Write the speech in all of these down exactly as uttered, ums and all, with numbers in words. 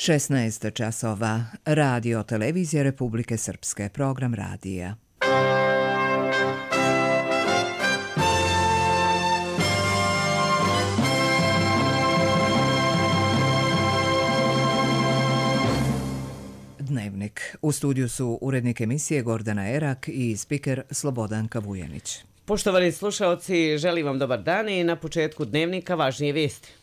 šesnaest časova. Radio Televizija Republike Srpske. Program radija. Dnevnik. U studiju su urednik emisije Gordana Erak i spiker Slobodanka Vujanić. Poštovani slušaoci, želim vam dobar dan i na početku dnevnika važnije vijesti.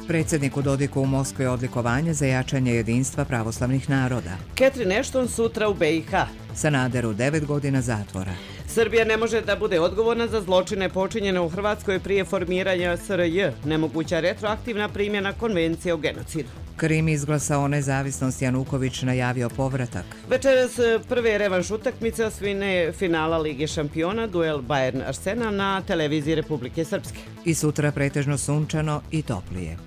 Predsjedniku Dodiku u Moskvi odlikovanje za jačanje jedinstva pravoslavnih naroda. Catherine Ashton sutra u B i H. Sanaderu devet godina zatvora. Srbija ne može da bude odgovorna za zločine počinjene u Hrvatskoj prije formiranja S R J. Nemoguća retroaktivna primjena konvencije o genocidu. Krim izglasao nezavisnost, Januković najavio povratak. Večeras prve revanš utakmice osvine finala Lige šampiona, duel Bayern Arsenal na televiziji Republike Srpske. I sutra pretežno sunčano i toplije.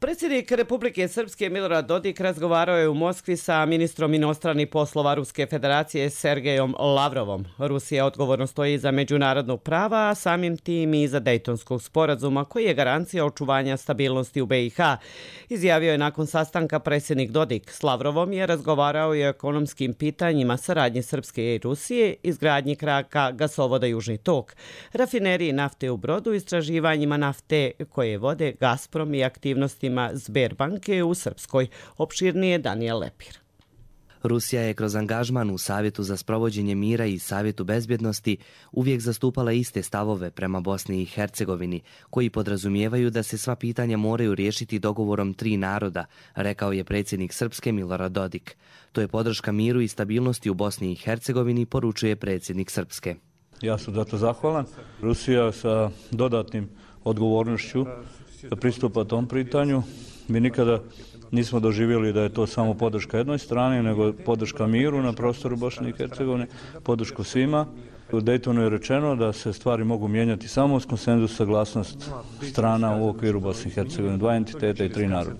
Predsjednik Republike Srpske Milorad Dodik razgovarao je u Moskvi sa ministrom inostranih poslova Ruske federacije Sergejom Lavrovom. Rusija odgovorno stoji za međunarodno prava, a samim tim i za Dejtonskog sporazuma koji je garancija očuvanja stabilnosti u B i H. Izjavio je nakon sastanka predsjednik Dodik. S Lavrovom je razgovarao i o ekonomskim pitanjima saradnje Srpske i Rusije, izgradnji kraka gasovoda Južni tok, rafineriji nafte u Brodu, istraživanjima nafte koje vode Gazprom i aktivnostima Sberbanke u Srpskoj. Opširnije Danijel Lepir. Rusija je kroz angažman u Savjetu za sprovođenje mira i Savjetu bezbjednosti uvijek zastupala iste stavove prema Bosni i Hercegovini, koji podrazumijevaju da se sva pitanja moraju riješiti dogovorom tri naroda, rekao je predsjednik Srpske Milorad Dodik. To je podrška miru i stabilnosti u Bosni i Hercegovini, poručuje predsjednik Srpske. Ja sam zato zahvalan. Rusija sa dodatnim odgovornošću da pristupa tom pitanju. Mi nikada nismo doživjeli da je to samo podrška jednoj strani, nego podrška miru na prostoru Bosne i Hercegovine, podršku svima. U Dejtonu je rečeno da se stvari mogu mijenjati samo uz konsenzus, saglasnost strana u okviru Bosne i Hercegovine, dva entiteta i tri naroda.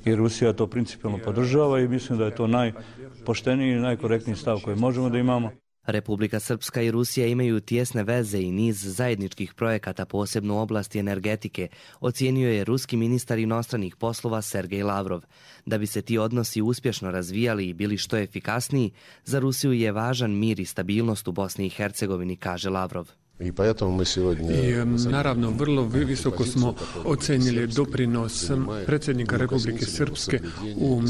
I Rusija to principijalno podržava i mislim da je to najpošteniji i najkorektniji stav koji možemo da imamo. Republika Srpska i Rusija imaju tijesne veze i niz zajedničkih projekata, posebno u oblasti energetike, ocijenio je ruski ministar inostranih poslova Sergej Lavrov. Da bi se ti odnosi uspješno razvijali i bili što efikasniji, za Rusiju je važan mir i stabilnost u Bosni i Hercegovini, kaže Lavrov. I naravno, vrlo visoko smo ocenili doprinos predsjednika Republike Srpske u,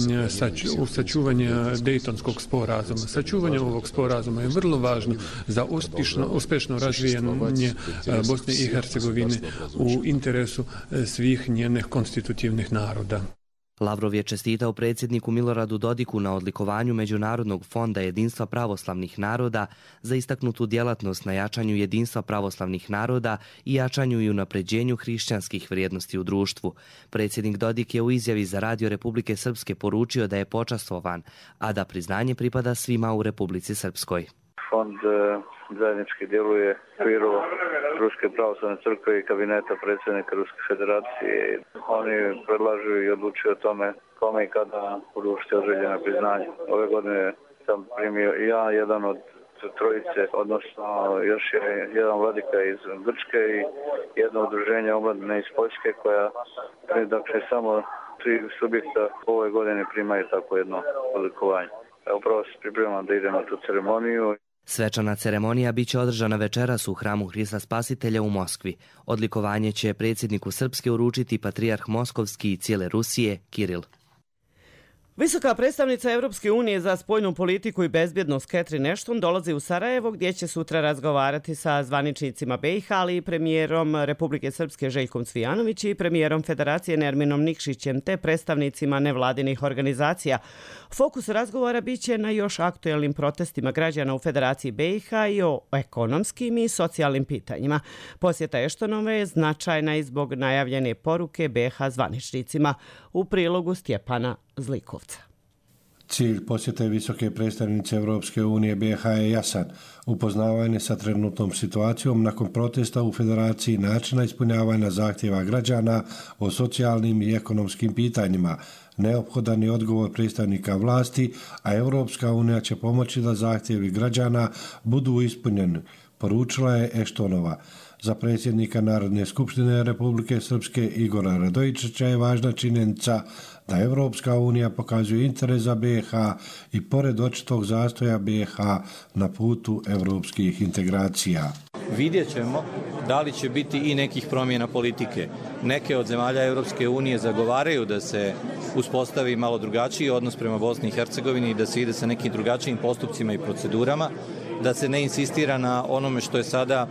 u sačuvanju Dejtonskog sporazuma. Sačuvanje ovog sporazuma je vrlo važno za uspješno, uspješno razvijanje Bosne i Hercegovine u interesu svih njenih konstitutivnih naroda. Lavrov je čestitao predsjedniku Miloradu Dodiku na odlikovanju Međunarodnog fonda jedinstva pravoslavnih naroda za istaknutu djelatnost na jačanju jedinstva pravoslavnih naroda i jačanju i unapređenju hrišćanskih vrijednosti u društvu. Predsjednik Dodik je u izjavi za Radio Republike Srpske poručio da je počastvovan, a da priznanje pripada svima u Republici Srpskoj. Fond zajednički djeluje u okviru Ruske pravoslavne crkve i kabineta predsjednika Ruske federacije. Oni predlažu i odlučuju o tome kome i kada uručiti određena priznanja. Ove godine sam primio ja, jedan od trojice, odnosno još je jedan vladika iz Grčke i jedno udruženje omladine iz Poljske koja, dakle, samo tri subjekta ove godine primaju tako jedno odlikovanje. Upravo se pripremam da idem na tu ceremoniju. Svečana ceremonija biće održana večeras u hramu Hrista Spasitelja u Moskvi. Odlikovanje će predsjedniku Srpske uručiti patrijarh Moskovski i cijele Rusije, Kiril. Visoka predstavnica Europske unije za spoljnu politiku i bezbjednost Catherine Ashton dolazi u Sarajevo gdje će sutra razgovarati sa zvaničnicima B i H, ali i premijerom Republike Srpske Željkom Cvijanović i premijerom Federacije Nerminom Nikšićem te predstavnicima nevladinih organizacija. Fokus razgovora biće na još aktuelnim protestima građana u Federaciji B i H i o ekonomskim i socijalnim pitanjima. Posjeta Ashtonove je značajna i zbog najavljene poruke B i H zvaničnicima. U prilogu Stjepana Zlikovca. Cilj posjete visoke predstavnice Europske unije B iH je jasan. Upoznavanje sa trenutnom situacijom nakon protesta u Federaciji, načina ispunjavanja zahtjeva građana o socijalnim i ekonomskim pitanjima, neophodan je odgovor predstavnika vlasti, a Europska unija će pomoći da zahtjevi građana budu ispunjeni, poručila je Eštonova. Za predsjednika Narodne skupštine Republike Srpske Igora Radojičića je važna činjenica da Evropska unija pokazuje interes za B iH i pored očitog zastoja B iH na putu evropskih integracija. Vidjet ćemo da li će biti i nekih promjena politike. Neke od zemalja Evropske unije zagovaraju da se uspostavi malo drugačiji odnos prema Bosni i Hercegovini i da se ide sa nekim drugačijim postupcima i procedurama, da se ne insistira na onome što je sada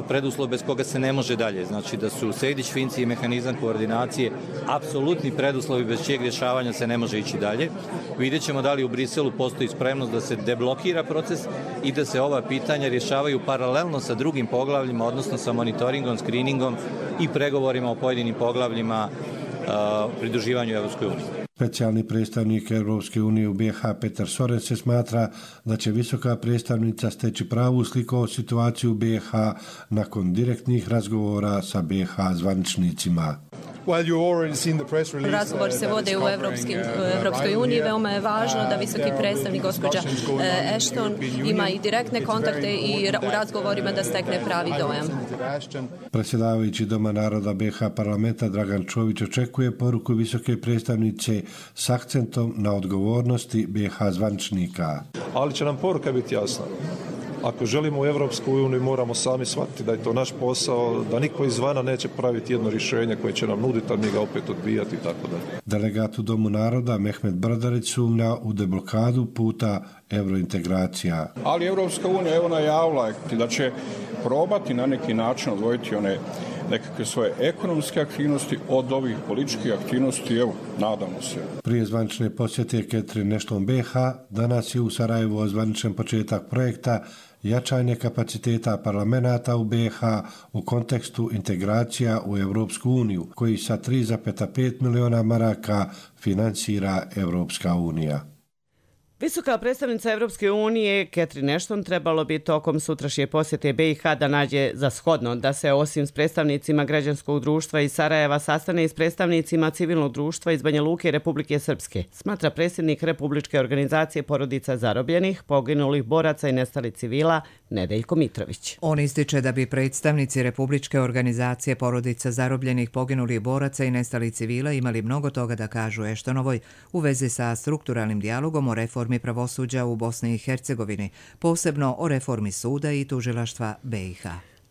preduslov bez koga se ne može dalje. Znači da su Sejdić, Finci i mehanizam koordinacije apsolutni preduslovi bez čijeg rješavanja se ne može ići dalje. Vidjet ćemo da li u Briselu postoji spremnost da se deblokira proces i da se ova pitanja rješavaju paralelno sa drugim poglavljima, odnosno sa monitoringom, screeningom i pregovorima o pojedinim poglavljima uh, pridruživanju Evropskoj uniji. Specijalni predstavnik Europske unije u B iH Petar Soren se smatra da će visoka predstavnica steći pravu sliku o situaciju u B iH nakon direktnih razgovora sa B iH zvaničnicima. Razgovor se vode u Evropskoj uniji. Veoma je važno da visoki predstavnik gospođa Ashton ima i direktne kontakte i u razgovorima da stekne pravi dojam. Predsjedavajući Doma naroda B iH parlamenta Dragan Čović očekuje poruku visoke predstavnice s akcentom na odgovornosti B iH zvaničnika. Ali će nam poruka biti jasna. Ako želimo u Evropsku uniju, moramo sami shvatiti da je to naš posao, da niko izvana neće praviti jedno rješenje koje će nam nuditi, a mi ga opet odbijati i tako dalje. Delegat u Domu naroda Mehmet Brdarić sumnja u deblokadu puta eurointegracija. Ali Evropska unija je ona javila da će probati na neki način odvojiti one nekakve svoje ekonomske aktivnosti od ovih političkih aktivnosti, evo, nadamo se. Prije zvanične posjete Catherine Ashton B iH, danas je u Sarajevu ozvaničen početak projekta jačanje kapaciteta parlamenata u B iH u kontekstu integracija u Evropsku uniju, koji sa tri zarez pet miliona maraka finansira Evropska unija. Visoka predstavnica Evropske unije Catherine Ashton trebalo bi tokom sutrašnje posjete B iH da nađe za shodno da se osim s predstavnicima građanskog društva iz Sarajeva sastane i s predstavnicima civilnog društva iz Banja Luke i Republike Srpske, smatra predsjednik Republičke organizacije porodica zarobljenih, poginulih boraca i nestalih civila Nedeljko Mitrović. On ističe da bi predstavnici Republičke organizacije porodica zarobljenih, poginulih boraca i nestalih civila imali mnogo toga da kažu Ashtonovoj u vezi sa strukturalnim dijalogom o reformi pravosuđa u Bosni i Hercegovini, posebno o reformi suda i tužilaštva B iH.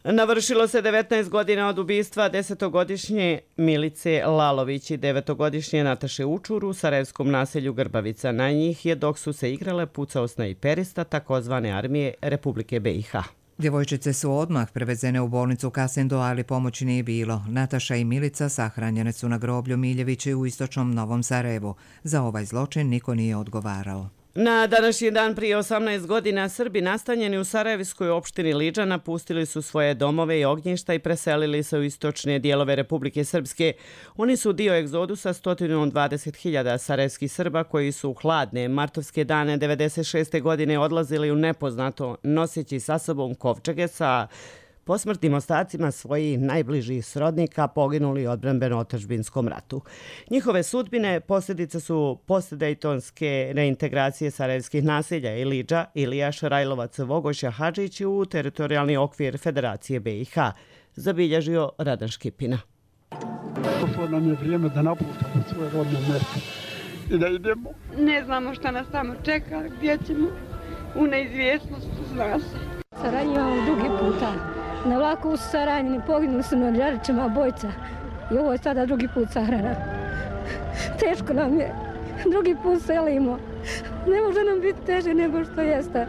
Navršilo se devetnaest godina od ubistva desetogodišnje Milice Lalović i devetogodišnje Nataše Učur u sarajevskom naselju Grbavica. Na njih je, dok su se igrale, pucao snajperista takozvane armije Republike B iH. Djevojčice su odmah prevezene u bolnicu Kasindo, ali pomoći nije bilo. Nataša i Milica sahranjene su na groblju Miljevići u istočnom Novom Sarajevu. Za ovaj zločin niko nije odgovarao. Na današnji dan prije osamnaest godina Srbi nastanjeni u sarajevskoj opštini Liđa napustili su svoje domove i ognjišta i preselili se u istočne dijelove Republike Srpske. Oni su dio egzodusa sto dvadeset hiljada sarajevskih Srba koji su u hladne martovske dane devedeset šeste godine odlazili u nepoznato noseći sa sobom kovčege sa posmrtnim ostacima svojih najbližih srodnika poginuli u odbrambeno-otadžbinskom ratu. Njihove sudbine posljedice su postdejtonske reintegracije sarajevskih naselja Iliđa, Ilijaš, Rajlovac, Vogošća, Hadžić u teritorijalni okvir Federacije B iH, zabilježio Radan Škipina. Došlo nam je vrijeme da napuštamo svoje rodne mjesto i da idemo. Ne znamo šta nas tamo čeka, gdje ćemo, u neizvjesnosti zna se. Saranjivamo drugi puta. Na vlaku su saranjeni, poginuli su na Đarićima bojca i ovo je sada drugi put sahrana. Teško nam je, drugi put selimo, ne može nam biti teže nego što jeste.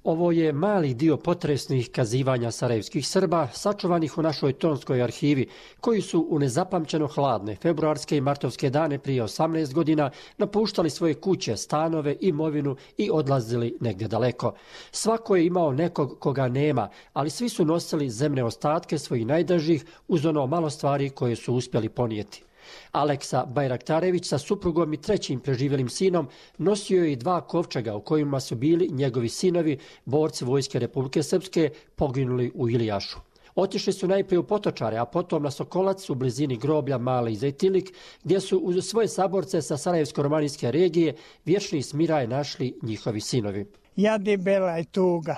Ovo je mali dio potresnih kazivanja sarajevskih Srba, sačuvanih u našoj tonskoj arhivi, koji su u nezapamćeno hladne februarske i martovske dane prije osamnaest godina napuštali svoje kuće, stanove, imovinu i odlazili negdje daleko. Svako je imao nekog koga nema, ali svi su nosili zemne ostatke svojih najdražih uz ono malo stvari koje su uspjeli ponijeti. Aleksa Bajraktarević sa suprugom i trećim preživjelim sinom nosio je i dva kovčega u kojima su bili njegovi sinovi, borci Vojske Republike Srpske, poginuli u Ilijašu. Otišli su najprije u Potočare, a potom na Sokolac u blizini groblja Mali Zejtilnik, gdje su uz svoje saborce sa Sarajevsko-romanijske regije vječni smiraj našli njihovi sinovi. Jad i bela i tuga.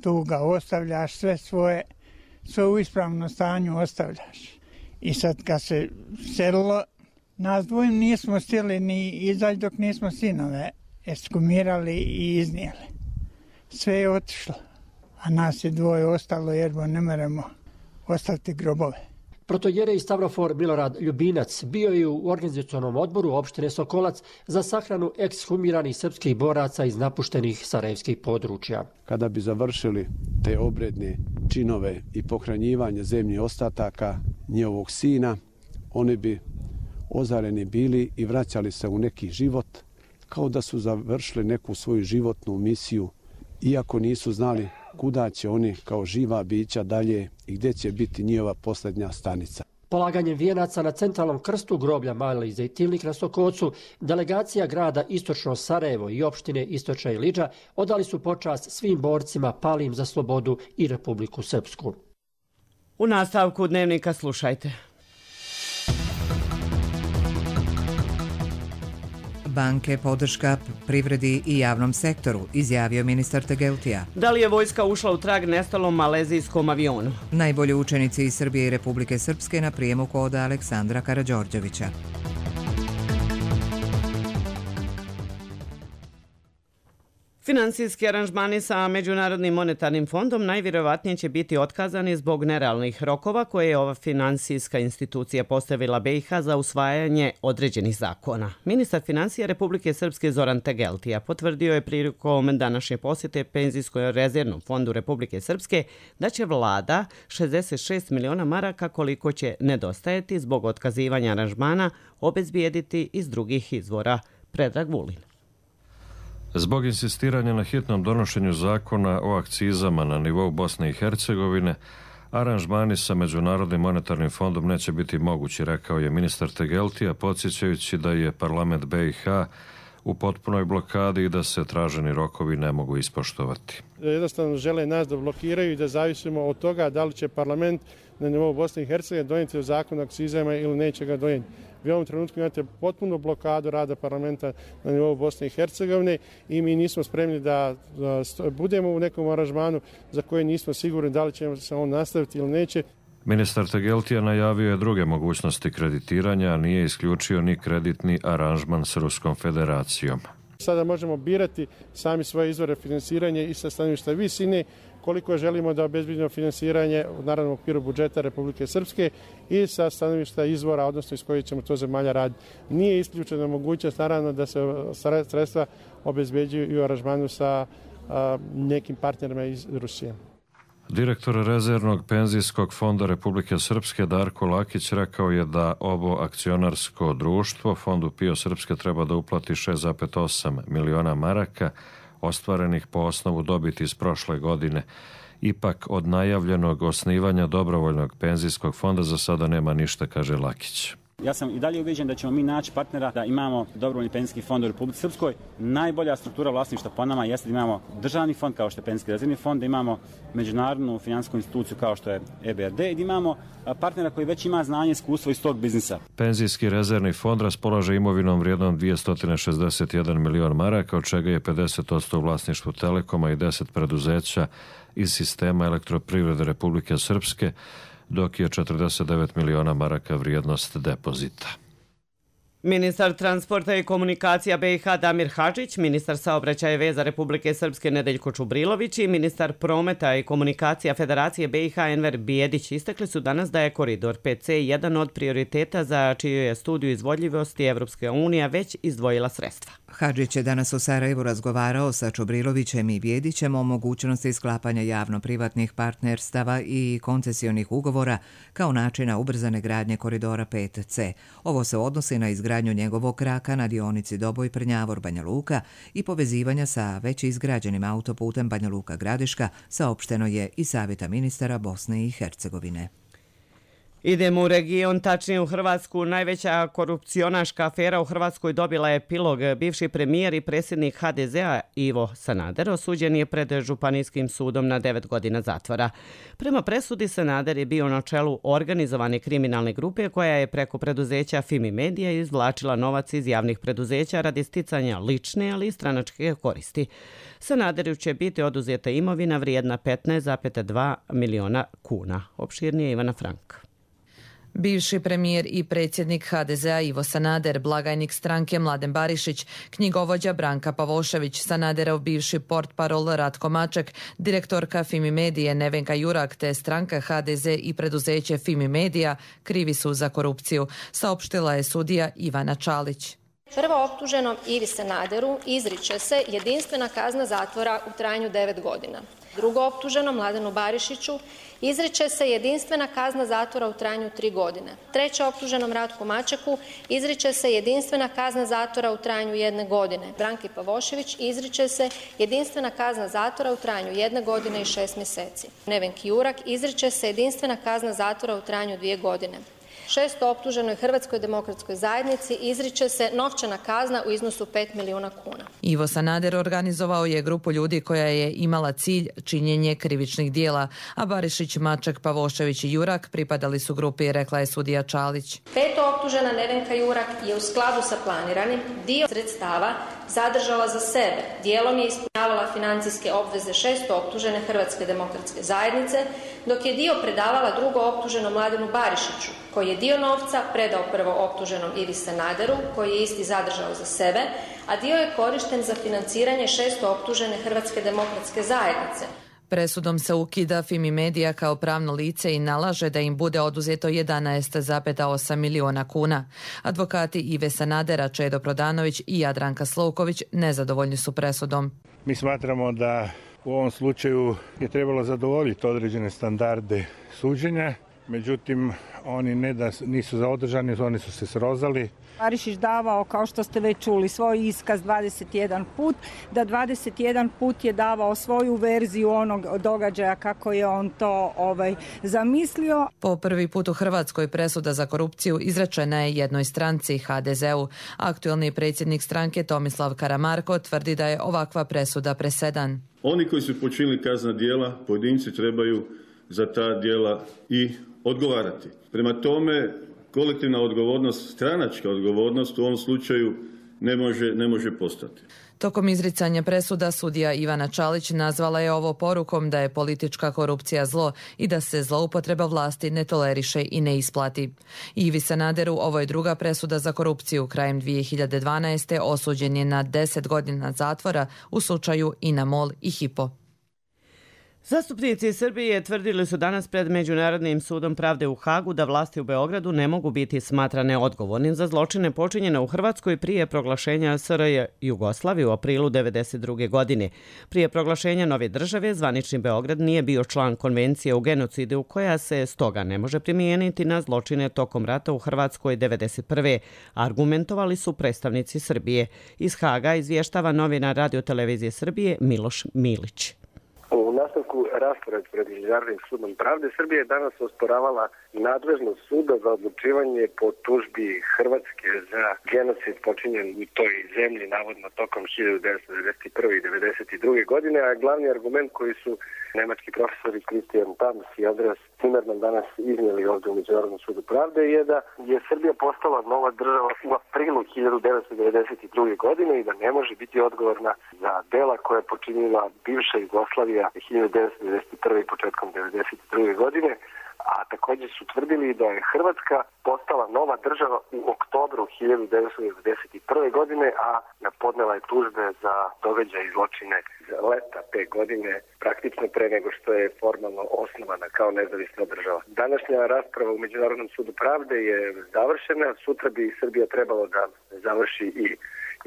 Tuga, ostavljaš sve svoje, sve u ispravnom stanju ostavljaš. I sad kad se selilo, nas dvojim nismo stili ni izaći dok nismo sinove ekskumirali i iznijeli. Sve je otišlo, a nas je dvoje ostalo jer ne moramo ostaviti grobove. Protojerej Stavrofor Milorad Ljubinac bio je u organizacionom odboru opštine Sokolac za sahranu ekshumiranih srpskih boraca iz napuštenih sarajevskih područja. Kada bi završili te obredne činove i pohranjivanje zemljih ostataka njihovog sina, oni bi ozareni bili i vraćali se u neki život, kao da su završili neku svoju životnu misiju, iako nisu znali kuda će oni kao živa bića dalje i gdje će biti njihova posljednja stanica. Polaganjem vijenaca na centralnom krstu groblja Mali Zejtilnik na Sokocu, delegacija grada Istočno Sarajevo i opštine Istočna Ilidža odali su počast svim borcima palim za slobodu i Republiku Srpsku. U nastavku dnevnika slušajte. Banke podrška privredi i javnom sektoru, izjavio ministar Tegeltija. Da li je vojska ušla u trag nestalom malezijskom avionu? Najbolji učenici iz Srbije i Republike Srpske na prijemu kod Aleksandra Karađorđevića. Finansijski aranžmani sa Međunarodnim monetarnim fondom najvjerovatnije će biti otkazani zbog nerealnih rokova koje je ova finansijska institucija postavila B i H za usvajanje određenih zakona. Ministar financija Republike Srpske Zoran Tegeltija potvrdio je prilikom današnje posjete Penzijsko-rezervnom fondu Republike Srpske da će vlada šezdeset šest miliona maraka koliko će nedostajati zbog otkazivanja aranžmana obezbijediti iz drugih izvora. Predrag Vulin. Zbog insistiranja na hitnom donošenju zakona o akcizama na nivou Bosne i Hercegovine, aranžmani sa Međunarodnim monetarnim fondom neće biti mogući, rekao je ministar Tegeltija, podsjećajući da je parlament B i H u potpunoj blokadi i da se traženi rokovi ne mogu ispoštovati. Jednostavno žele nas da blokiraju i da zavisimo od toga da li će parlament na nivou Bosne i Hercegovine donijeti zakon o akcizama ili neće ga donijeti. Vi u ovom trenutku imate potpuno blokadu rada parlamenta na nivou Bosne i Hercegovine i mi nismo spremni da budemo u nekom aranžmanu za koje nismo sigurni da li će se on nastaviti ili neće. Ministar Tegeltija najavio je druge mogućnosti kreditiranja, a nije isključio ni kreditni aranžman s Ruskom federacijom. Sada možemo birati sami svoje izvore finansiranja i sa stanovišta visine, koliko želimo da obezbedimo finansiranje u naravnom okviru budžeta Republike Srpske i sa stanovišta izvora, odnosno iz kojih ćemo to zemalja raditi. Nije isključena mogućnost, naravno, da se sredstva obezbeđuju i u aranžmanu sa a, nekim partnerima iz Rusije. Direktor rezervnog penzijskog fonda Republike Srpske Darko Lakić rekao je da ovo akcionarsko društvo fondu PIO Srpske treba da uplati šest zarez osam miliona maraka ostvarenih po osnovu dobiti iz prošle godine. Ipak od najavljenog osnivanja dobrovoljnog penzijskog fonda za sada nema ništa, kaže Lakić. Ja sam i dalje ubeđen da ćemo mi naći partnera da imamo dobrovoljni penzijski fond u Republici Srpskoj. Najbolja struktura vlasništva po nama jeste da imamo državni fond kao što je Penzijski rezervni fond, da imamo međunarodnu finansijsku instituciju kao što je E B R D i da imamo partnera koji već ima znanje i iskustvo iz tog biznisa. Penzijski rezervni fond raspolaže imovinom vrijednom dvjesto šezdeset jedan milion maraka, od čega je pedeset posto u vlasništvu Telekoma i deset preduzeća iz sistema Elektroprivrede Republike Srpske, dok je četrdeset devet miliona maraka vrijednost depozita. Ministar transporta i komunikacija B i H Damir Hadžić, ministar saobraćaja i veza Republike Srpske Nedeljko Čubrilović i ministar prometa i komunikacija Federacije B i H Enver Bijedić istakli su danas da je koridor pet C jedan od prioriteta za čiju je studiju izvodljivosti Evropska unija već izdvojila sredstva. Hadžić je danas u Sarajevu razgovarao sa Čubrilovićem i Bijedićem o mogućnosti sklapanja javno-privatnih partnerstava i koncesionih ugovora kao načina ubrzane gradnje koridora pet C. Ovo se odnosi na izgradnju njegovog kraka na dionici Doboj-Prnjavor-Banja Luka i povezivanja sa već izgrađenim autoputem Banja Luka-Gradiška, saopšteno je i Savjeta ministara Bosne i Hercegovine. Idemo u region, tačnije u Hrvatsku. Najveća korupcionaška afera u Hrvatskoj dobila je epilog. Bivši premijer i predsjednik ha de zea Ivo Sanader osuđen je pred Županijskim sudom na devet godina zatvora. Prema presudi Sanader je bio na čelu organizovane kriminalne grupe koja je preko preduzeća Fimi Media izvlačila novac iz javnih preduzeća radi sticanja lične, ali i stranačke koristi. Sanaderu će biti oduzeta imovina vrijedna petnaest zarez dva miliona kuna. Opširnije Ivana Frank. Bivši premijer i predsjednik ha de zea Ivo Sanader, blagajnik stranke Mladen Barišić, knjigovođa Branka Pavošević, Sanaderov bivši portparol Ratko Maček, direktorka Fimi Medije Nevenka Jurak te stranka ha de ze i preduzeće Fimi Media krivi su za korupciju, saopštila je sudija Ivana Čalić. Prvo optuženom Ivi Sanaderu izriče se jedinstvena kazna zatvora u trajanju devet godina. Drugo optuženom Mladenu Barišiću izriče se jedinstvena kazna zatvora u trajanju tri godine. Treće optuženom Ratku Mačeku izriče se jedinstvena kazna zatvora u trajanju jedne godine. Branki Pavošević izriče se jedinstvena kazna zatvora u trajanju jedne godine i šest mjeseci. Nevenki Jurak izriče se jedinstvena kazna zatvora u trajanju dvije godine. Šesto optuženoj Hrvatskoj demokratskoj zajednici izriče se novčana kazna u iznosu pet milijuna kuna. Ivo Sanader organizovao je grupu ljudi koja je imala cilj činjenje krivičnih dijela, a Barišić, Maček, Pavošević i Jurak pripadali su grupi, rekla je sudija Čalić. Peto optužena Nevenka Jurak je u skladu sa planiranim dio sredstava zadržala za sebe. Dijelom je ispunjavala financijske obveze šesto optužene Hrvatske demokratske zajednice, dok je dio predavala drugo optuženom Mladenu Barišiću, koji je dio novca predao prvo optuženom Ivi Sanaderu, koji je isti zadržao za sebe, a dio je korišten za financiranje šesto optužene Hrvatske demokratske zajednice. Presudom se ukida Fimi Media kao pravno lice i nalaže da im bude oduzeto jedanaest zarez osam miliona kuna. Advokati Ive Sanadera, Čedo Prodanović i Jadranka Slovković nezadovoljni su presudom. Mi smatramo da u ovom slučaju je trebalo zadovoljiti određene standarde suđenja, međutim oni ne da nisu zaodržani, oni su se srozali. Barišić davao, kao što ste već čuli, svoj iskaz dvadeset jedan put, da dvadeset jedan put je davao svoju verziju onog događaja kako je on to ovaj, zamislio. Po prvi put u Hrvatskoj presuda za korupciju izrečena je jednoj stranci, ha de zeu. Aktuelni predsjednik stranke Tomislav Karamarko tvrdi da je ovakva presuda presedan. Oni koji su počinili kaznena djela, pojedinci trebaju za ta djela i odgovarati. Prema tome, kolektivna odgovornost, stranačka odgovornost u ovom slučaju ne može, ne može postati. Tokom izricanja presuda sudija Ivana Čalić nazvala je ovo porukom da je politička korupcija zlo i da se zloupotreba vlasti ne toleriše i ne isplati. Ivi Sanaderu ovo je druga presuda za korupciju. Krajem dvije hiljade dvanaeste. osuđen je na deset godina zatvora u slučaju INA-MOL i Hypo. Zastupnici Srbije tvrdili su danas pred Međunarodnim sudom pravde u Hagu da vlasti u Beogradu ne mogu biti smatrane odgovornim za zločine počinjene u Hrvatskoj prije proglašenja es er je Jugoslavije u aprilu devedeset druge. godine. Prije proglašenja nove države, zvanični Beograd nije bio član konvencije o genocidu koja se stoga ne može primijeniti na zločine tokom rata u Hrvatskoj devedeset prve. Argumentovali su predstavnici Srbije. Iz Haga izvještava novinar Radio-televizije Srbije Miloš Milić. U nastavku rasprave pred Međunarodnim sudom pravde Srbija je danas osporavala nadležnost suda za odlučivanje po tužbi Hrvatske za genocid počinjen u toj zemlji navodno tokom hiljadu devetsto devedeset prve. i devedeset druge. godine, a glavni argument koji su nemački profesori Christian Tams i Andreas Zimmermann danas iznijeli ovdje u Međunarodnom sudu pravde je da je Srbija postala nova država u aprilu hiljadu devetsto devedeset druge. godine i da ne može biti odgovorna za dela koje je počinila bivša Jugoslavija hiljadu devetsto devedeset prve. i početkom devedeset druge. godine, a također su tvrdili da je Hrvatska postala nova država u oktobru hiljadu devetsto devedeset prve. godine, a podnela je tužbe za događaje i zločine za leta te godine, praktično pre nego što je formalno osnovana kao nezavisna država. Današnja rasprava u Međunarodnom sudu pravde je završena, sutra bi Srbija trebalo da završi i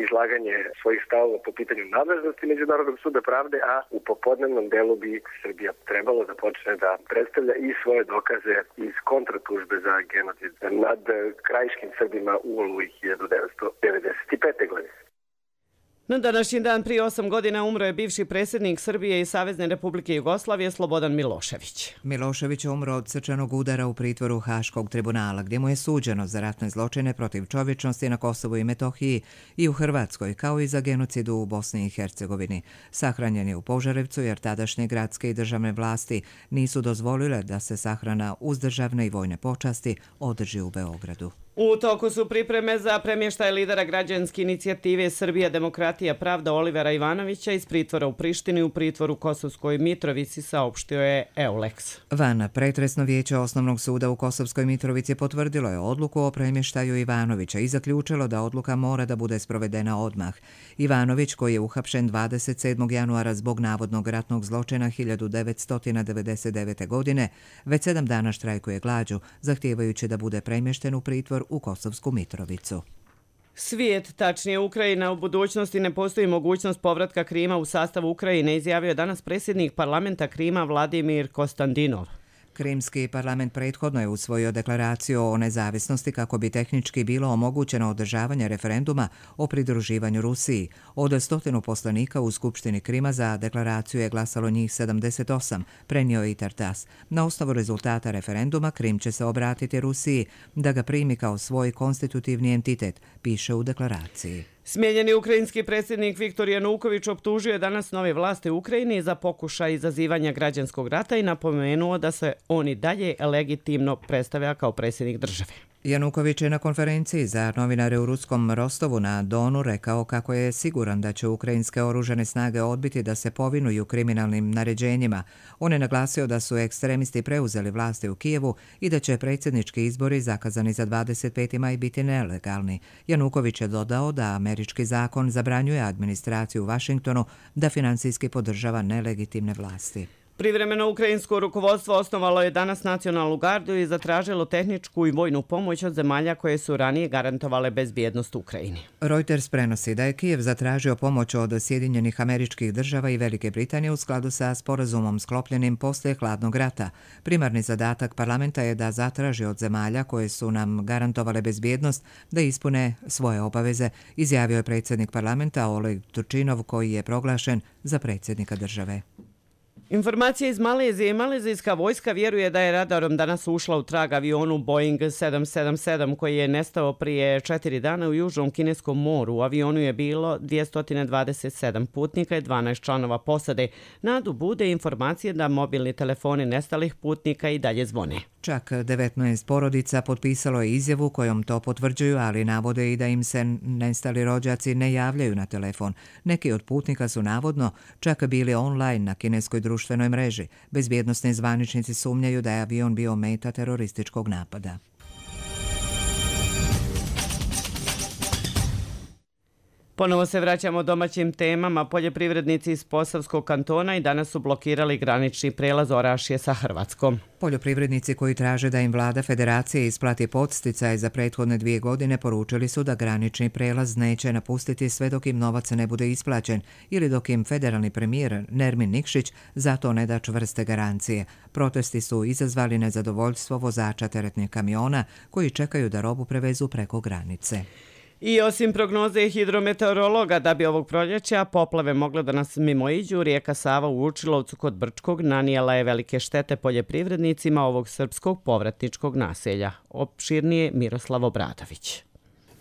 izlaganje svojih stavova po pitanju nadležnosti Međunarodnog suda pravde, a u popodnevnom delu bi Srbija trebalo da počne da predstavlja i svoje dokaze iz kontratužbe za genocid nad krajiškim Srbima u Oluji hiljadu devetsto devedeset pete. godine. Na današnji dan prije osam godina umro je bivši predsjednik Srbije i Savezne Republike Jugoslavije Slobodan Milošević. Milošević je umro od srčanog udara u pritvoru Haškog tribunala, gdje mu je suđeno za ratne zločine protiv čovječnosti na Kosovu i Metohiji i u Hrvatskoj, kao i za genocidu u Bosni i Hercegovini. Sahranjen je u Požarevcu jer tadašnje gradske i državne vlasti nisu dozvolile da se sahrana uz državne i vojne počasti održi u Beogradu. U toku su pripreme za premještaj lidera građanske inicijative Srbija, demokratija, pravda Olivera Ivanovića iz pritvora u Prištini u pritvor u Kosovskoj Mitrovici, saopštio je Eulex. Van pretresno vijeće Osnovnog suda u Kosovskoj Mitrovici potvrdilo je odluku o premještaju Ivanovića i zaključilo da odluka mora da bude sprovedena odmah. Ivanović, koji je uhapšen dvadeset sedmog januara zbog navodnog ratnog zločina hiljadu devetsto devedeset devete. godine, već sedam dana štrajkuje glađu, zahtijevajući da bude premješten u pritvor u Kosovsku Mitrovicu. Svijet, tačnije Ukrajina, u budućnosti ne postoji mogućnost povratka Krima u sastav Ukrajine, izjavio je danas predsjednik parlamenta Krima Vladimir Kostandinov. Krimski parlament prethodno je usvojio deklaraciju o nezavisnosti kako bi tehnički bilo omogućeno održavanje referenduma o pridruživanju Rusiji. Od stotinu poslanika u Skupštini Krima za deklaraciju je glasalo njih sedamdeset osam, prenio je i Tartas. Na osnovu rezultata referenduma Krim će se obratiti Rusiji da ga primi kao svoj konstitutivni entitet, piše u deklaraciji. Smijenjeni ukrajinski predsjednik Viktor Januković optužio je danas nove vlasti u Ukrajini za pokušaj izazivanja građanskog rata i napomenuo da se on i dalje legitimno predstavlja kao predsjednik države. Januković je na konferenciji za novinare u ruskom Rostovu na Donu rekao kako je siguran da će ukrajinske oružane snage odbiti da se povinuju kriminalnim naređenjima. On je naglasio da su ekstremisti preuzeli vlasti u Kijevu i da će predsjednički izbori zakazani za dvadeset peti maj biti nelegalni. Januković je dodao da američki zakon zabranjuje administraciju u Vašingtonu da finansijski podržava nelegitimne vlasti. Privremeno ukrajinsko rukovodstvo osnovalo je danas nacionalnu gardu i zatražilo tehničku i vojnu pomoć od zemalja koje su ranije garantovale bezbjednost Ukrajini. Reuters prenosi da je Kijev zatražio pomoć od Sjedinjenih Američkih Država i Velike Britanije u skladu sa sporazumom sklopljenim poslije hladnog rata. Primarni zadatak parlamenta je da zatraži od zemalja koje su nam garantovale bezbjednost da ispune svoje obaveze, izjavio je predsjednik parlamenta Oleg Turčinov, koji je proglašen za predsjednika države. Informacije iz Malezije. Malezijska vojska vjeruje da je radarom danas ušla u trag avionu Boeing sedam sedam sedam koji je nestao prije četiri dana u Južnom Kineskom moru. U avionu je bilo dvjesto dvadeset sedam putnika i dvanaest članova posade. Nadu bude informacije da mobilni telefoni nestalih putnika i dalje zvone. Čak devetnaest porodica potpisalo je izjavu kojom to potvrđuju, ali navode i da im se nestali rođaci ne javljaju na telefon. Neki od putnika su navodno čak bili online na kineskoj društvenoj mreži. Bezbjednosni zvaničnici sumnjaju da je avion bio meta terorističkog napada. Ponovo se vraćamo domaćim temama. Poljoprivrednici iz Posavskog kantona i danas su blokirali granični prelaz Orašje sa Hrvatskom. Poljoprivrednici koji traže da im vlada federacije isplati podsticaj za prethodne dvije godine poručili su da granični prelaz neće napustiti sve dok im novac ne bude isplaćen ili dok im federalni premijer Nermin Nikšić za to ne da čvrste garancije. Protesti su izazvali nezadovoljstvo vozača teretnih kamiona koji čekaju da robu prevezu preko granice. I osim prognoze hidrometeorologa da bi ovog proljeća poplave mogle da nas mimoiđu, rijeka Sava u Vučilovcu kod Brčkog nanijela je velike štete poljoprivrednicima ovog srpskog povratničkog naselja. Opširnije Miroslav Obradović.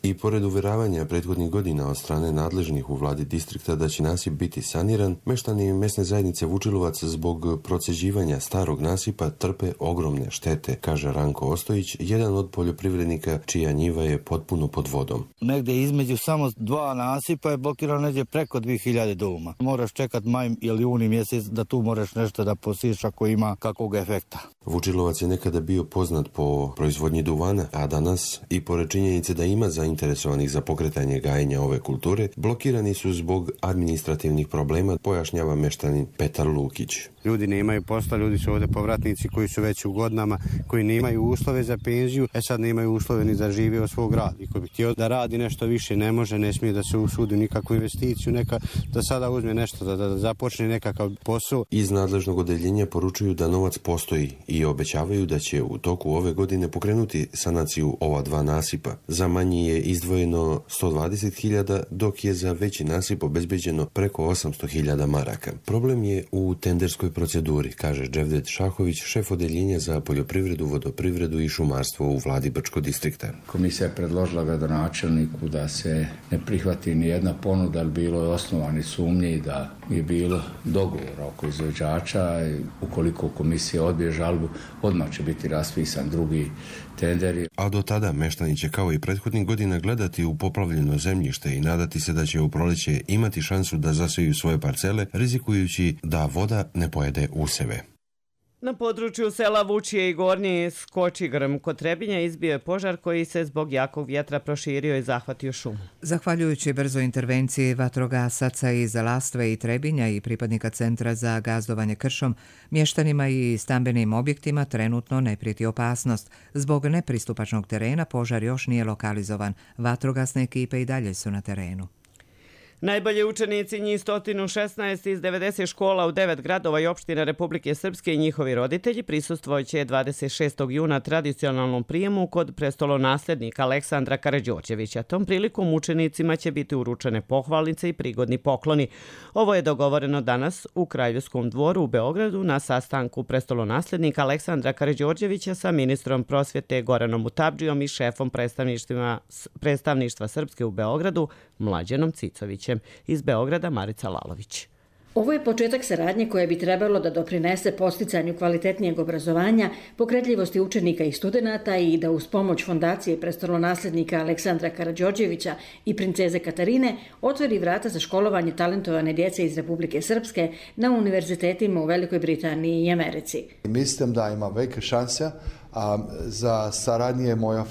I pored uveravanja prethodnih godina od strane nadležnih u vladi distrikta da će nasip biti saniran, meštani mesne zajednice Vučilovac zbog proceđivanja starog nasipa trpe ogromne štete, kaže Ranko Ostojić, jedan od poljoprivrednika čija njiva je potpuno pod vodom. Negdje između samo dva nasipa je blokirano negdje preko dvije hiljade doma. Moraš čekat maj ili juni mjesec da tu moraš nešto da posiš ako ima kakvog efekta. Vučilovac je nekada bio poznat po proizvodnji duvana, a danas, i pored činjenice da ima zainteresovanih za pokretanje gajenja ove kulture, blokirani su zbog administrativnih problema, pojašnjava meštanin Petar Lukić. Ljudi nemaju posla, ljudi su ovdje povratnici koji su već u godinama, koji nemaju uslove za penziju, e sad nemaju uslove ni da žive od svog rada. I ko bi htio da radi nešto više, ne može, ne smije da se usudi nikakvu investiciju, neka, da sada uzme nešto, da, da započne nekakav posao. Iz nadležnog odeljenja poručuju da novac postoji i obećavaju da će u toku ove godine pokrenuti sanaciju ova dva nasipa. Za manji je izdvojeno sto dvadeset hiljada, dok je za veći nasip obezbeđeno preko osamsto hiljada maraka. Problem je u tenderskoj proceduri, kaže Dževdet Šahović, šef odeljenja za poljoprivredu, vodoprivredu i šumarstvo u vladi Brčkog distrikta. Komisija je predložila gradonačelniku da se ne prihvati ni jedna ponuda, ali bilo je osnovani sumnji da je bilo dogovora oko izvođača. Ukoliko komisija odbije žalbu, odmah će biti raspisan drugi tenderi. A do tada meštani će kao i prethodnih godina gledati u poplavljeno zemljište i nadati se da će u proljeće imati šansu da zasiju svoje parcele, rizikujući da voda ne pojede useve. Na području sela Vučije i Gornji Skočigrm kod Trebinja izbio je požar koji se zbog jakog vjetra proširio i zahvatio šumu. Zahvaljujući brzoj intervenciji vatrogasaca iz Lastve i Trebinja i pripadnika Centra za gazdovanje kršom, mještanima i stambenim objektima trenutno ne prijeti opasnost. Zbog nepristupačnog terena požar još nije lokalizovan. Vatrogasne ekipe i dalje su na terenu. Najbolji učenici njih sto šesnaest iz devedeset škola u devet gradova i opština Republike Srpske i njihovi roditelji prisustvovat dvadeset šestog juna tradicionalnom prijemu kod prestolonasljednika Aleksandra Karađorđevića. Tom prilikom učenicima će biti uručene pohvalnice i prigodni pokloni. Ovo je dogovoreno danas u Kraljevskom dvoru u Beogradu na sastanku prestolonasljednika Aleksandra Karađorđevića sa ministrom prosvjete Goranom Mutabdžijom i šefom predstavništva, predstavništva Srpske u Beogradu Mlađanom Cicovićem. Iz Beograda Marica Lalović. Ovo je početak saradnje koja bi trebalo da doprinese posticanju kvalitetnijeg obrazovanja, pokretljivosti učenika i studenata i da uz pomoć Fondacije prestolonaslednika Aleksandra Karađorđevića i princeze Katarine otvori vrata za školovanje talentovane djece iz Republike Srpske na univerzitetima u Velikoj Britaniji i Americi. Mislim da ima velike šanse a, za saradnje moja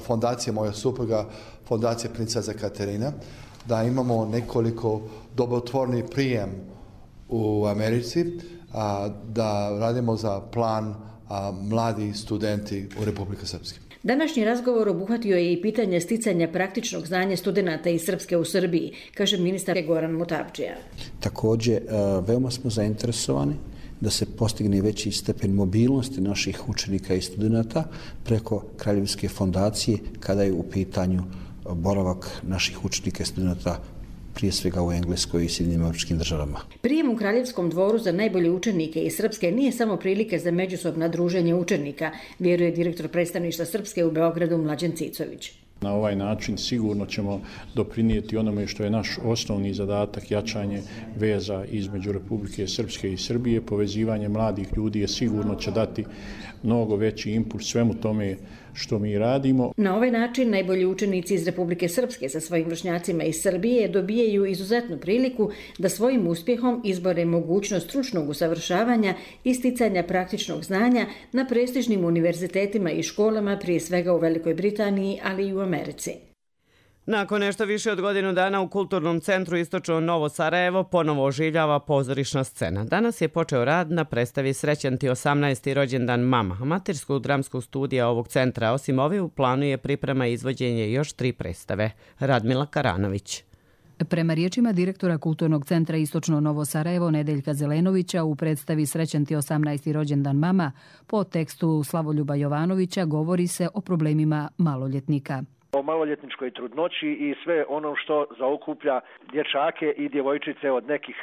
fondacija, moja supruga, Fondacija princeze Katarine, da imamo nekoliko dobrotvorni prijem u Americi, a, da radimo za plan a, mladi studenti u Republike Srpske. Današnji razgovor obuhvatio je i pitanje sticanja praktičnog znanja studenata iz Srpske u Srbiji, kaže ministar Goran Mutabdžija. Također, veoma smo zainteresovani da se postigne veći stepen mobilnosti naših učenika i studenata preko Kraljevske fondacije kada je u pitanju boravak naših učenika i studenta prije svega u Engleskoj i Sjedinjenim Američkim Državama. Prijem u Kraljevskom dvoru za najbolje učenike iz Srpske nije samo prilike za međusobno druženje učenika, vjeruje direktor predstavništva Srpske u Beogradu Mlađan Cicović. Na ovaj način sigurno ćemo doprinijeti onome što je naš osnovni zadatak, jačanje veza između Republike Srpske i Srbije. Povezivanje mladih ljudi je sigurno će dati mnogo veći impuls svemu tome što mi radimo. Na ovaj način najbolji učenici iz Republike Srpske sa svojim vršnjacima iz Srbije dobijaju izuzetnu priliku da svojim uspjehom izbore mogućnost stručnog usavršavanja i sticanja praktičnog znanja na prestižnim univerzitetima i školama, prije svega u Velikoj Britaniji, ali i u Americi. Nakon nešto više od godinu dana u Kulturnom centru Istočno Novo Sarajevo ponovo oživljava pozorišna scena. Danas je počeo rad na predstavi Srećan ti osamnaesti rođendan mama, amaterskog dramskog studija ovog centra. Osim ove, u planu je priprema i izvođenje još tri predstave. Radmila Karanović. Prema riječima direktora Kulturnog centra Istočno Novo Sarajevo Nedeljka Zelenovića, u predstavi Srećan ti osamnaesti rođendan mama po tekstu Slavoljuba Jovanovića govori se o problemima maloljetnika. O maloljetničkoj trudnoći i sve ono što zaokuplja dječake i djevojčice od nekih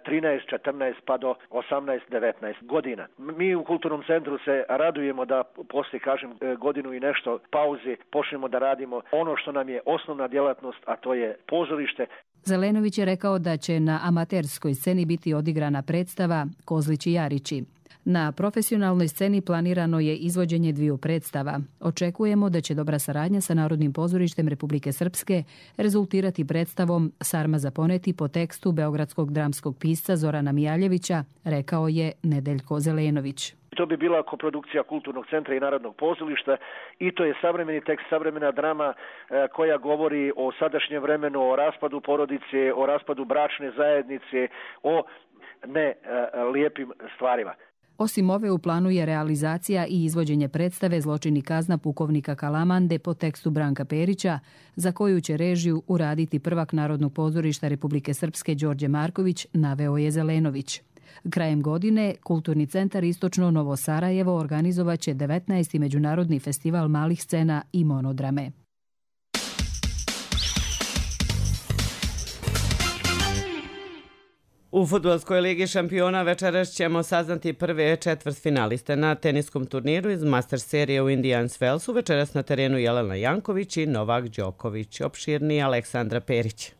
trinaest, četrnaest pa do osamnaest, devetnaest godina. Mi u Kulturnom centru se radujemo da poslije, kažem, godinu i nešto pauze počnemo da radimo ono što nam je osnovna djelatnost, a to je pozorište. Zelenović je rekao da će na amaterskoj sceni biti odigrana predstava Kozlići Jarići. Na profesionalnoj sceni planirano je izvođenje dviju predstava. Očekujemo da će dobra saradnja sa Narodnim pozorištem Republike Srpske rezultirati predstavom Sarma za poneti po tekstu beogradskog dramskog pisca Zorana Mijaljevića, rekao je Nedeljko Zelenović. To bi bila koprodukcija Kulturnog centra i Narodnog pozorišta i to je savremeni tekst, savremena drama koja govori o sadašnjem vremenu, o raspadu porodice, o raspadu bračne zajednice, o ne lijepim stvarima. Osim ove, u planu je realizacija i izvođenje predstave Zločin i kazna pukovnika Kalamande po tekstu Branka Perića, za koju će režiju uraditi prvak Narodnog pozorišta Republike Srpske Đorđe Marković, naveo je Zelenović. Krajem godine Kulturni centar Istočno Novo Sarajevo organizovaće devetnaesti međunarodni festival malih scena i monodrame. U fudbalskoj ligi šampiona večeras ćemo saznati prve četvrtfinaliste na teniskom turniru iz Master serije u Indians Wellsu. Večeras na terenu Jelena Janković i Novak Đoković. Opširniji Aleksandra Perić.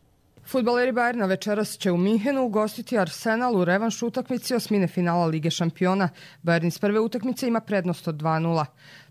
Fudbaleri Bayerna večeras će u Minhenu ugostiti Arsenal u revanš utakmici osmine finala Lige šampiona. Bayern iz prve utakmice ima prednost od dva nula.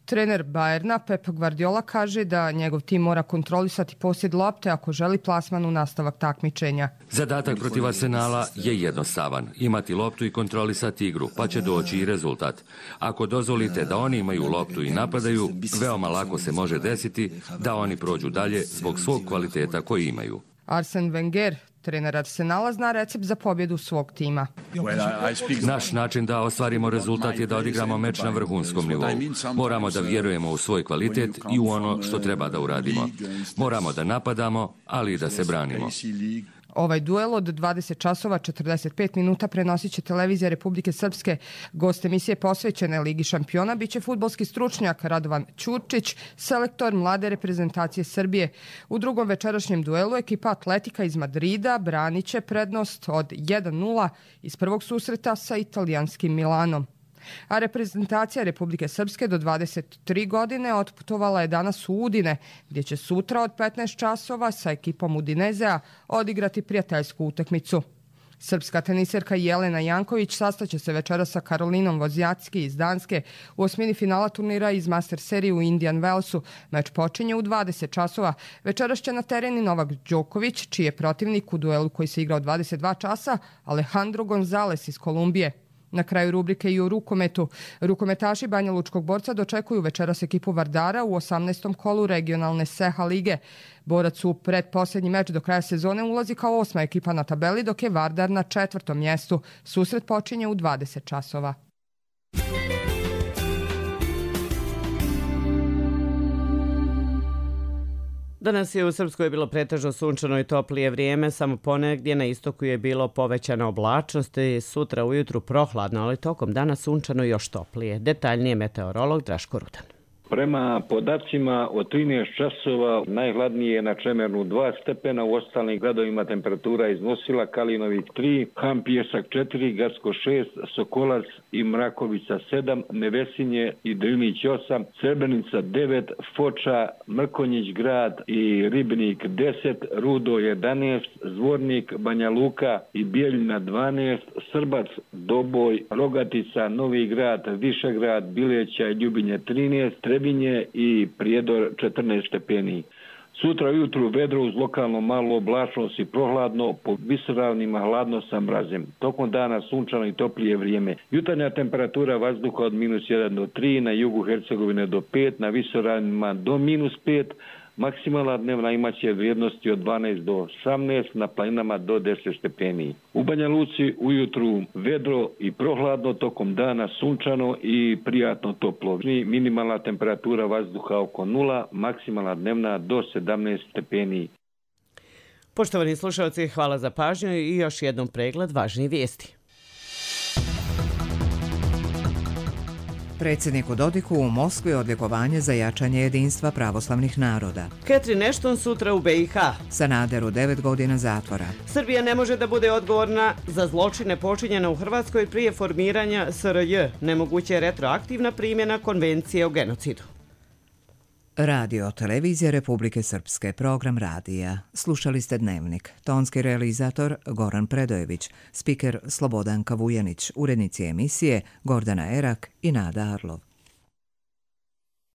Trener Bayerna Pep Guardiola kaže da njegov tim mora kontrolisati posjed lopte ako želi plasman u nastavak takmičenja. Zadatak protiv Arsenala je jednostavan. Imati loptu i kontrolisati igru, pa će doći i rezultat. Ako dozvolite da oni imaju loptu i napadaju, veoma lako se može desiti da oni prođu dalje zbog svog kvaliteta koji imaju. Arsene Wenger, trener Arsenala, zna recept za pobjedu svog tima. Naš način da ostvarimo rezultat je da odigramo meč na vrhunskom nivou. Moramo da vjerujemo u svoj kvalitet i u ono što treba da uradimo. Moramo da napadamo, ali i da se branimo. Ovaj duel od dvadeset časova četrdeset pet minuta prenosit će televizija Republike Srpske. Gost emisije posvećene Ligi šampiona biće fudbalski stručnjak Radovan Ćurčić, selektor mlade reprezentacije Srbije. U drugom večerašnjem duelu ekipa Atletika iz Madrida branit će prednost od jedan nula iz prvog susreta sa italijanskim Milanom. A reprezentacija Republike Srpske do dvadeset tri godine otputovala je danas u Udine, gdje će sutra od petnaest časova sa ekipom Udinezea odigrati prijateljsku utakmicu. Srpska teniserka Jelena Janković sastaće se večera sa Karolinom Vozjacki iz Danske u osmini finala turnira iz Master serije u Indian Wellsu. Meč počinje u dvadeset časova. Večeras će na tereni Novak Đoković, čiji je protivnik u duelu koji se igra u dvadeset dva časa, Alejandro Gonzalez iz Kolumbije. Na kraju rubrike i o rukometu. Rukometaši Banja Lučkog Borca dočekuju večeras ekipu Vardara u osamnaestom kolu regionalne Seha lige. Borac u predposljednji meč do kraja sezone ulazi kao osma ekipa na tabeli, dok je Vardar na četvrtom mjestu. Susret počinje u dvadeset časova. Danas je u Srpskoj bilo pretežno sunčano i toplije vrijeme, samo ponegdje na istoku je bilo povećana oblačnost i sutra ujutru prohladno, ali tokom dana sunčano još toplije. Detaljnije meteorolog Draško Rudan. Prema podacima od trinaest časova najhladnije je na Čemernu dva stepena, u ostalim gradovima temperatura iznosila Kalinović tri, Han Pijesak četiri, Garsko šest, Sokolac i Mrakovica sedam, Nevesinje i Drinić osam, Srebrenica devet, Foča, Mrkonjić grad i Ribnik deset, Rudo jedanaest, Zvornik, Banja Luka i Bijeljina dvanaest, Srbac, Doboj, Rogatica, Novi grad, Višegrad, Bileća i Ljubinje trinaest, Trebinje i Prijedor četrnaest stepeni. Sutra ujutru vedro uz lokalno malo oblačnost i prohladno, po visoravnima hladno sa mrazem. Tokom dana sunčano i toplije vrijeme. Jutarnja temperatura vazduha od minus jedan do tri, na jugu Hercegovine do pet, na visoravnima do minus pet, maksimalna dnevna imaće vrijednosti od dvanaest do osamnaest, na planinama do deset stepeni. U Banja Luci ujutru vedro i prohladno, tokom dana sunčano i prijatno toplo. Minimalna temperatura vazduha oko nula, maksimalna dnevna do sedamnaest stepeni. Poštovani slušalci, hvala za pažnju i još jednom pregled važnih vijesti. Predsjedniku Dodiku u Moskvi odlikovanje za jačanje jedinstva pravoslavnih naroda. Catherine Ashton sutra u B i H. Sanaderu devet godina zatvora. Srbija ne može da bude odgovorna za zločine počinjene u Hrvatskoj prije formiranja S R J. Nemoguće je retroaktivna primjena konvencije o genocidu. Radio Televizija Republike Srpske, program radija. Slušali ste Dnevnik. Tonski realizator Goran Predojević, spiker Slobodanka Vujanić, urednici emisije Gordana Erak i Nada Arlov.